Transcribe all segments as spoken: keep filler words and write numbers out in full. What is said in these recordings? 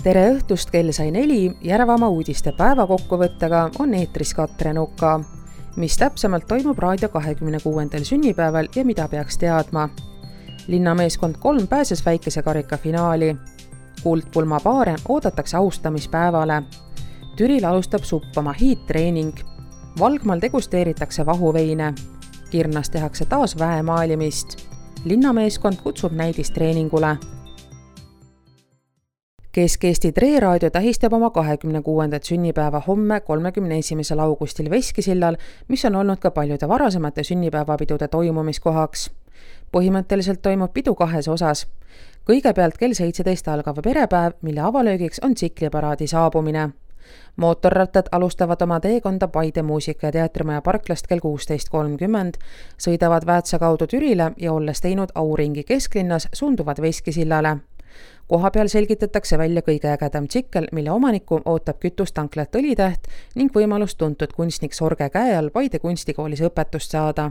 Tere õhtust, kell sai neli, Järvamaa uudiste päevakokkuvõttega on eetris Katre Nuka, mis täpsemalt toimub raadio kahekümne kuuendal sünnipäeval ja mida peaks teadma. Linnameeskond kolm pääses väikese karika finaali. Kuldpulma paare oodatakse austamispäevale. Türil alustab suppama hiidtreening. Valgmal degusteeritakse vahuveine. Kirnas tehakse taas väemaalimist. Linnameeskond kutsub näidistreeningule. Kesk-Eesti Tree-raadio tähistab oma kahekümne kuuendat sünnipäeva homme kolmekümne esimesel augustil Veskisillal, mis on olnud ka paljude varasemate sünnipäevapidude toimumiskohaks. Põhimõtteliselt toimub pidu kahes osas. Kõigepealt kell seitseteist algav perepäev, mille avalöögiks on tsikliparaadi saabumine. Mootorrattad alustavad oma teekonda Paide muusika- ja teatrimaja parklast kell kuusteist kolmkümmend, sõidavad Väätsa kaudu Türile ja olles teinud auringi kesklinnas, suunduvad Veskisillale. Koha peal selgitatakse välja kõige ägedam tsikkel, mille omaniku ootab kütustanklat Õlitäht ning võimalust tuntud kunstnik Sorge käe all Paide kunstikoolis õpetust saada.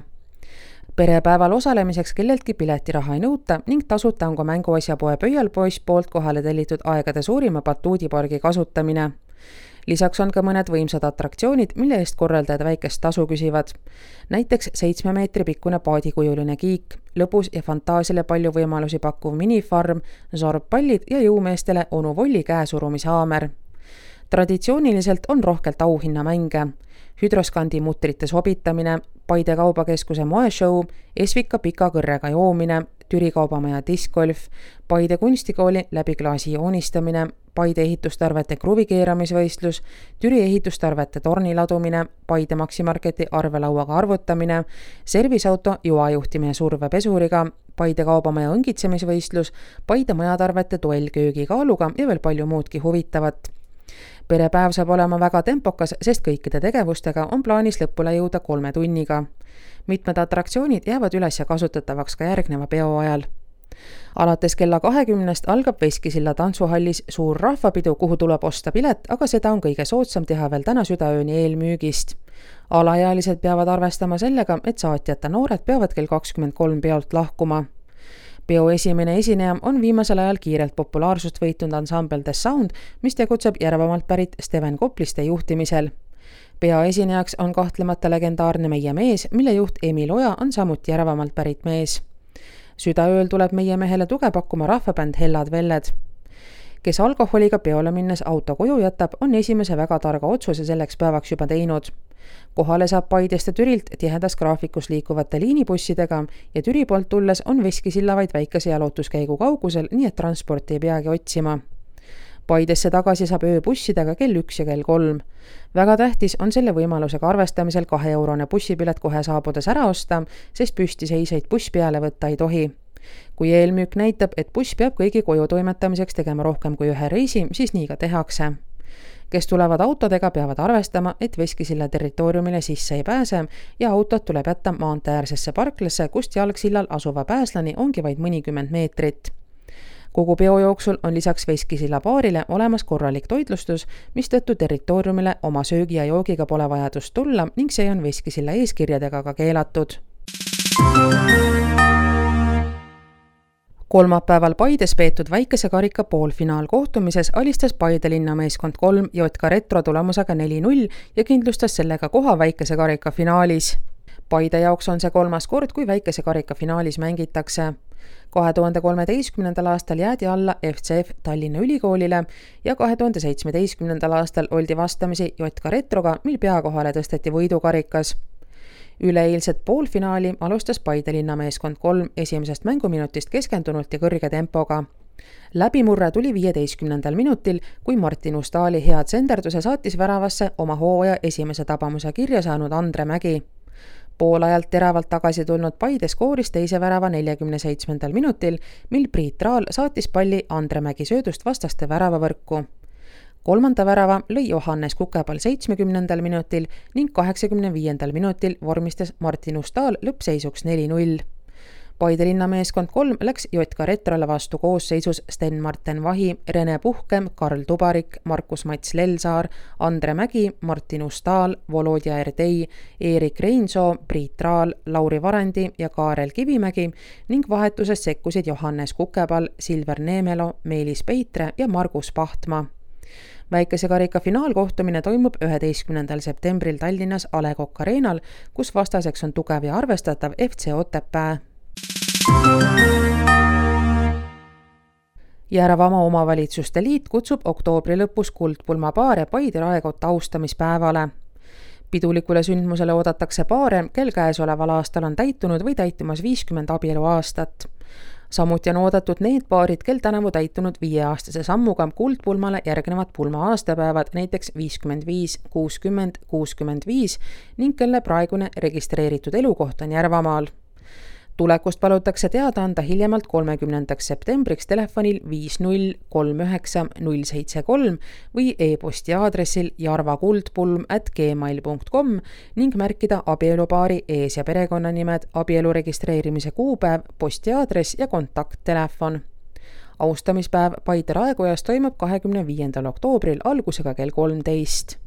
Perepäeval osalemiseks kelleltki piletiraha ei nõuta ning tasuta on ka mänguasjapoe Pöialpoiss poolt kohale tellitud aegade suurima batuudipargi kasutamine. Lisaks on ka mõned võimsad atraktsioonid, mille eest korraldajad väikest tasu küsivad. Näiteks seitsme meetri pikkune paadikujuline kiik, lõbus ja fantaasile palju võimalusi pakkuv minifarm, sorbpallid ja jõumeestele onu Volli käesurumishaamer. Traditsiooniliselt on rohkelt auhinnamänge. Hüdroskandi mutrite sobitamine, Paide kaubakeskuse moeshow, Esvika pika kõrrega joomine, Türi kaubamaja diskgolf, Paide kunstikooli läbi klaasi joonistamine, Paide ehitustarvete kruvikeeramisvõistlus, Türi ehitustarvete torni ladumine, Paide Maximarketi arvelauaga arvutamine, servisauto juajuhtimine survepesuriga, Paide kaubamaja õngitsemisvõistlus, Paide majatarvete duellköögi kaaluga ja veel palju muudki huvitavat. Perepäev saab olema väga tempokas, sest kõikide tegevustega on plaanis lõpule jõuda kolme tunniga. Mitmed atraktsioonid jäävad üles ja kasutatavaks ka järgneva peo ajal. Alates kella kahekümnest algab Veskisilla tantsuhallis suur rahvapidu, kuhu tuleb osta pilet, aga seda on kõige soodsam teha veel täna südaööni eelmüügist. Alaealised peavad arvestama sellega, et saatjata noored peavad kell kakskümmend kolm peolt lahkuma. Peo esimene esineja on viimasel ajal kiirelt populaarsust võitnud ansambel The Sound, mis tegutseb Järvamaalt pärit Steven Kopliste juhtimisel. Pea esinejaks on kahtlemata legendaarne Meie mees, mille juht Emil Oja on samuti Järvamaalt pärit mees. Südaööl tuleb meie mehele tuge pakkuma rahvabänd Hellad Velled. Kes alkoholiga peole minnes auto koju jätab, on esimese väga targa otsuse selleks päevaks juba teinud. Kohale saab Paidest ja Türilt tihedas graafikus liikuvate liinibussidega ja Türi poolt tulles on Veskisilla vaid väikese jalutuskäigu kaugusel, nii et transporti ei peagi otsima. Paidesse tagasi saab ööbussidega kell üks ja kell kolm. Väga tähtis on selle võimalusega arvestamisel kahe eurone bussipilet kohe saabudes ära osta, sest püstiseiseid buss peale võtta ei tohi. Kui eelmüük näitab, et buss peab kõigi koju toimetamiseks tegema rohkem kui ühe reisi, siis nii ka tehakse. Kes tulevad autodega, peavad arvestama, et Veskisilla territooriumile sisse ei pääse ja autod tuleb jätta maanteäärsesse parklasse, kust jalgsillal asuva pääslani ongi vaid mõnikümmend meetrit. Kogu peo jooksul on lisaks Veskisilla baarile olemas korralik toitlustus, mistõttu territooriumile oma söögi ja joogiga pole vajadust tulla ning see on Veskisilla eeskirjadega ka keelatud. Kolmapäeval Paides peetud väikese karika poolfinaalkohtumises alistas Paide linnameeskond kolm J K Retro tulemusega neli null ja kindlustas sellega koha väikese karika finaalis. Paide jaoks on see kolmas kord, kui väikese karika finaalis mängitakse. kahe tuhande kolmeteistkümnendal aastal jäädi alla F C F Tallinna Ülikoolile ja kahe tuhande seitsmeteistkümnendal aastal oldi vastamisi J K Retroga, mil peakohale tõsteti võidukarikas. Üleeilset poolfinaali alustas Paide linnameeskond kolm esimesest mänguminutist keskendunult ja kõrge tempoga. Läbimurre tuli viieteistkümnendal minutil, kui Martin Ustaali hea tsenderduse saatis väravasse oma hooaja esimese tabamuse kirja saanud Andre Mägi. Poolajalt teravalt tagasi tulnud Paide skooris teise värava neljakümne seitsmendal minutil, mil Priit Raal saatis palli Andre Mägi söödust vastaste väravavõrku. Kolmanda värava lõi Johannes Kukepal seitsmekümnendal minutil ning kaheksakümne viiendal minutil vormistas Martin Ustaal lõppseisuks neli null. Paide linnameeskond kolm läks J K Retrole vastu koosseisus Sten-Marten Vahi, Rene Puhkem, Karl Tubarik, Markus-Mats Lelsaar, Andre Mägi, Martin Ustaal, Volodja Erdei, Erik Reinsoo, Priit Raal, Lauri Varendi ja Kaarel Kivimägi ning vahetuses sekkusid Johannes Kukepal, Silver Neemelo, Meelis Peitre ja Margus Pahtma. Väikese karika finaalkohtumine toimub üheteistkümnendal septembril Tallinnas A Le Coq Arenal, kus vastaseks on tugev ja arvestatav F C Otepää. Järvama omavalitsuste liit kutsub oktoobri lõpus kuldpulma paare Paide Raekotta austamispäevale. Pidulikule sündmusele oodatakse paare, kel käesoleval aastal on täitunud või täitumas viiskümmend abielu aastat. Samuti on oodatud need paarid, kel tänavu täitunud viieaastase sammuga kuldpulmale järgnevad pulma aastapäevad, näiteks viiskümmend viis, kuuskümmend, kuuskümmend viis ning kelle praegune registreeritud elukoht on Järvamaal. Tulekust palutakse teada anda hiljemalt kolmekümnendaks septembriks telefonil viis null kolm üheksa null seitse kolm või e-posti aadressil jarvakuldpulm at gmail punkt com ning märkida abielupaari ees- ja perekonnanimed, abielu registreerimise kuupäev, postiaadress ja kontakttelefon. Austamispäev Paide Raekojas toimub kahekümne viiendal oktoobril algusega kell kolmteist.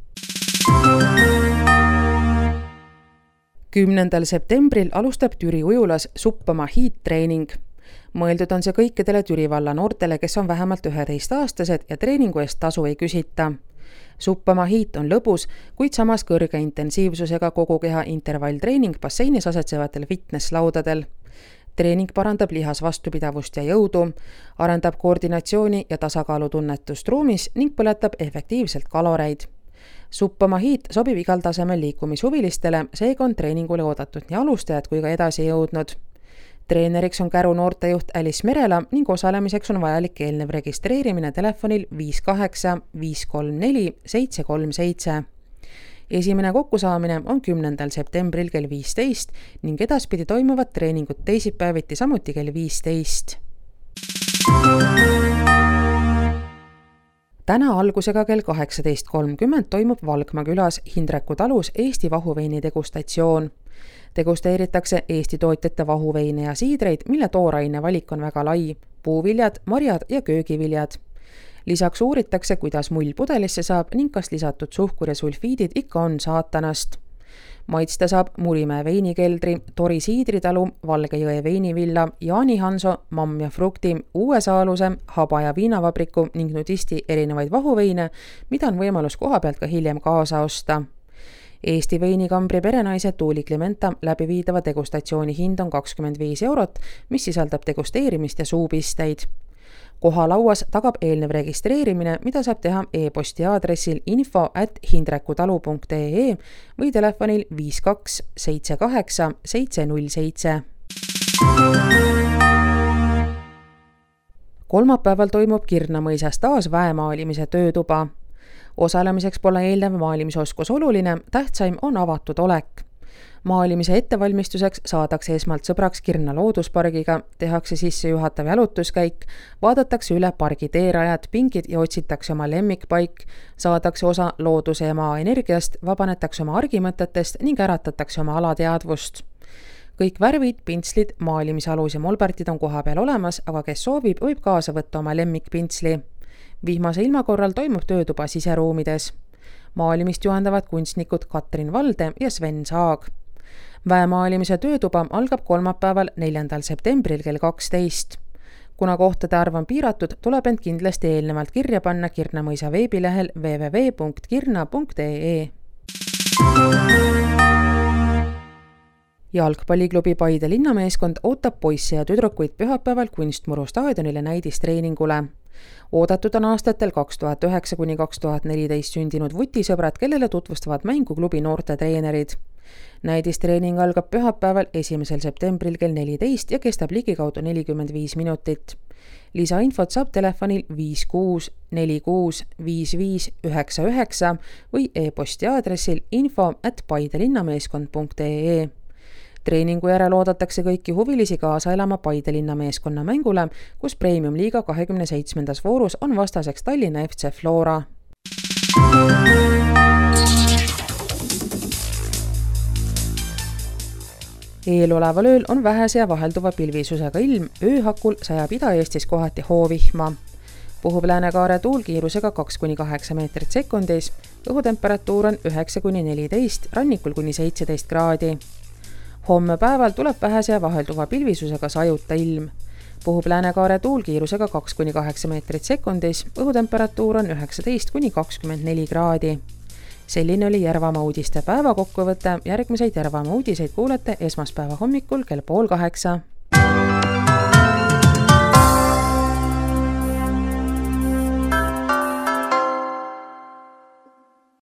kümnendal septembril alustab Türi ujulas Suppama hiit-treening. Mõeldud on see kõikidele Türi valla noortele, kes on vähemalt üheteistaastased ja treeningu eest tasu ei küsita. Suppama hiit on lõbus, kuid samas kõrge intensiivsusega kogu keha intervalltreening basseinis asetsevatel fitnesslaudadel. Treening parandab lihas vastupidavust ja jõudu, arendab koordinatsiooni ja tasakaalutunnetust ruumis ning põletab efektiivselt kaloreid. Suppama hiit sobib igal tasemel liikumishuvilistele, seega on treeningule oodatud nii alustajad kui ka edasi jõudnud. Treeneriks on Käru noortejuht Alice Merela ning osalemiseks on vajalik eelnev registreerimine telefonil viis kaheksa viis kolm neli seitse kolm seitse. Esimene kokkusaamine on kümnendal septembril kell viisteist ning edaspidi toimuvad treeningud teisipäeviti samuti kell viisteist. Täna algusega kell kaheksateist kolmkümmend toimub Valgma külas Hindreku talus Eesti vahuveini degustatsioon. Degusteeritakse Eesti tootjate vahuveine ja siidreid, mille tooraine valik on väga lai, puuviljad, marjad ja köögiviljad. Lisaks uuritakse, kuidas mull pudelisse saab ning kas lisatud suhkur ja sulfiidid ikka on saatanast. Maitsta saab Murimäe veinikeldri, Tori siidritalu, Valgejõe veinivilla, Jaani Hanso, Mamm ja Frukti, Uue Saaluse, Haba ja viinavabriku ning nudisti erinevaid vahuveine, mida on võimalus koha pealt ka hiljem kaasa osta. Eesti veinikambri perenaise Tuuli Klimenta läbiviidava degustatsiooni hind on kakskümmend viis eurot, mis sisaldab degusteerimist ja suupisteid. Koha lauas tagab eelnev registreerimine, mida saab teha e-posti aadressil info at hindrekutalu punkt ee või telefonil viis kaks seitse kaheksa seitse null seitse. Kolmapäeval toimub Kirna-mõisas taas väemaalimise töötuba. Osalemiseks pole eelnev maalimisoskus oluline, tähtsaim on avatud olek. Maalimise ettevalmistuseks saadakse esmalt sõbraks Kirna looduspargiga, tehakse sisse juhatav jalutuskäik, vaadatakse üle pargi teerajad, pingid ja otsitakse oma lemmikpaik, saadakse osa looduse ja maa energiast, vabanetakse oma argimõtetest ning äratatakse oma alateadvust. Kõik värvid, pintslid, maalimisalus ja molbertid on koha peal olemas, aga kes soovib, võib kaasa võtta oma lemmikpintsli. Vihmase ilma korral toimub töötuba siseruumides. Maalimist juhendavad kunstnikud Katrin Valde ja Sven Saag. Väemaalimise töötuba algab kolmapäeval neljandal septembril kell kaksteist. Kuna kohtade arv on piiratud, tuleb end kindlasti eelnevalt kirja panna Kirna-mõisa veebilehel w w w punkt kirna punkt ee. Jalgpalliklubi Paide linnameeskond ootab poisse ja tüdrukuid pühapäeval Kunstmuru staadionile näidistreeningule. Oodatud on aastatel kaks tuhat üheksa kuni kaks tuhat neliteist sündinud vutisõbrad, kellele tutvustavad mänguklubi noorte treenerid. Näidistreening algab pühapäeval esimesel septembril kell neliteist ja kestab ligikaudu nelikümmend viis minutit. Lisainfot saab telefonil viis kuus neli kuus viis viis üheksa üheksa või e-posti aadressil info at paidelinnameeskond punkt ee. Treeningu järel oodatakse kõiki huvilisi kaasa elama Paide linnameeskonna mängule, kus Premium-liiga kahekümne seitsmendas voorus on vastaseks Tallinna F C Flora. Eeloleval ööl on vähese ja vahelduva pilvisusega ilm, ööhakul sajab Ida-Eestis kohati hoovihma. Puhub Lääne-Kaare tuul kiirusega kaks kuni kaheksa meetrit sekundis, õhutemperatuur on üheksa kuni neliteist, rannikul kuni seitseteist kraadi. Homme päeval tuleb vähese ja vahelduva pilvisusega sajuta ilm. Puhub Lääne-Kaare tuul kiirusega kaks kuni kaheksa meetrit sekundis, õhutemperatuur on üheksateist kuni kakskümmend neli kraadi. Selline oli Järvamaa uudiste päeva kokkuvõte, järgmiseid Järvamaa uudiseid kuulete esmaspäeva hommikul kell pool kaheksa.